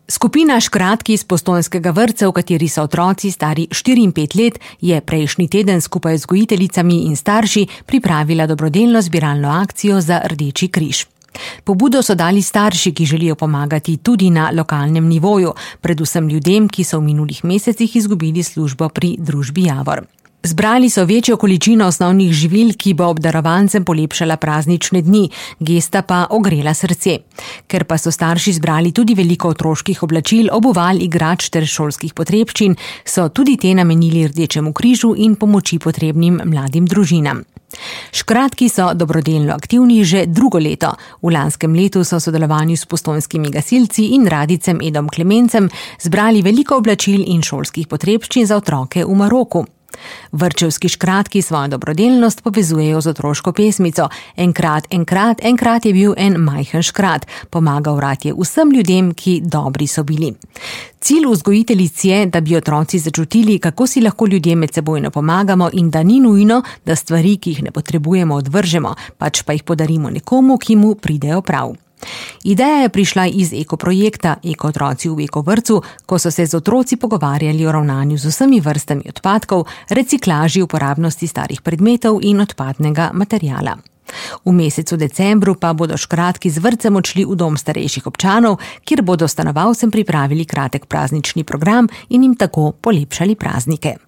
Skupina škratk iz postojnskega vrtca, v kateri so otroci stari 4 in 5 let, je prejšnji teden skupaj z vzgojiteljicami in starši pripravila dobrodelno zbiralno akcijo za Rdeči križ. Pobudo so dali starši, ki želijo pomagati tudi na lokalnem nivoju, predvsem ljudem, ki so v minulih mesecih izgubili službo pri družbi Javor. Zbrali so večjo količino osnovnih živil, ki bo obdarovancem polepšala praznične dni, gesta pa ogrela srce. Ker pa so starši zbrali tudi veliko otroških oblačil, obuval, igrač ter šolskih potrebščin, so tudi te namenili Rdečemu križu in pomoči potrebnim mladim družinam. Škratki so dobrodelno aktivni že drugo leto. V lanskem letu so v sodelovanju s postojnskimi gasilci in radicem Edom Klemencem zbrali veliko oblačil in šolskih potrebščin za otroke v Maroku. Vrtčevski škratki svojo dobrodelnost povezujejo z otroško pesmico Enkrat je bil en majhen škrat, pomagal rad je vsem ljudem, ki dobri so bili. Cilj vzgojiteljic je, da bi otroci začutili, kako si lahko ljudje medsebojno pomagamo in da ni nujno, da stvari, ki jih ne potrebujemo, odvržemo, pač pa jih podarimo nekomu, ki mu pridejo prav. Ideja je prišla iz ekoprojekta Eko otroci v Eko vrtcu, ko so se z otroci pogovarjali o ravnanju z vsemi vrstami odpadkov, reciklaži, uporabnosti starih predmetov in odpadnega materiala. V mesecu decembru pa bodo škratki z vrtcem odšli v dom starejših občanov, kjer bodo stanovalcem pripravili kratek praznični program in jim tako polepšali praznike.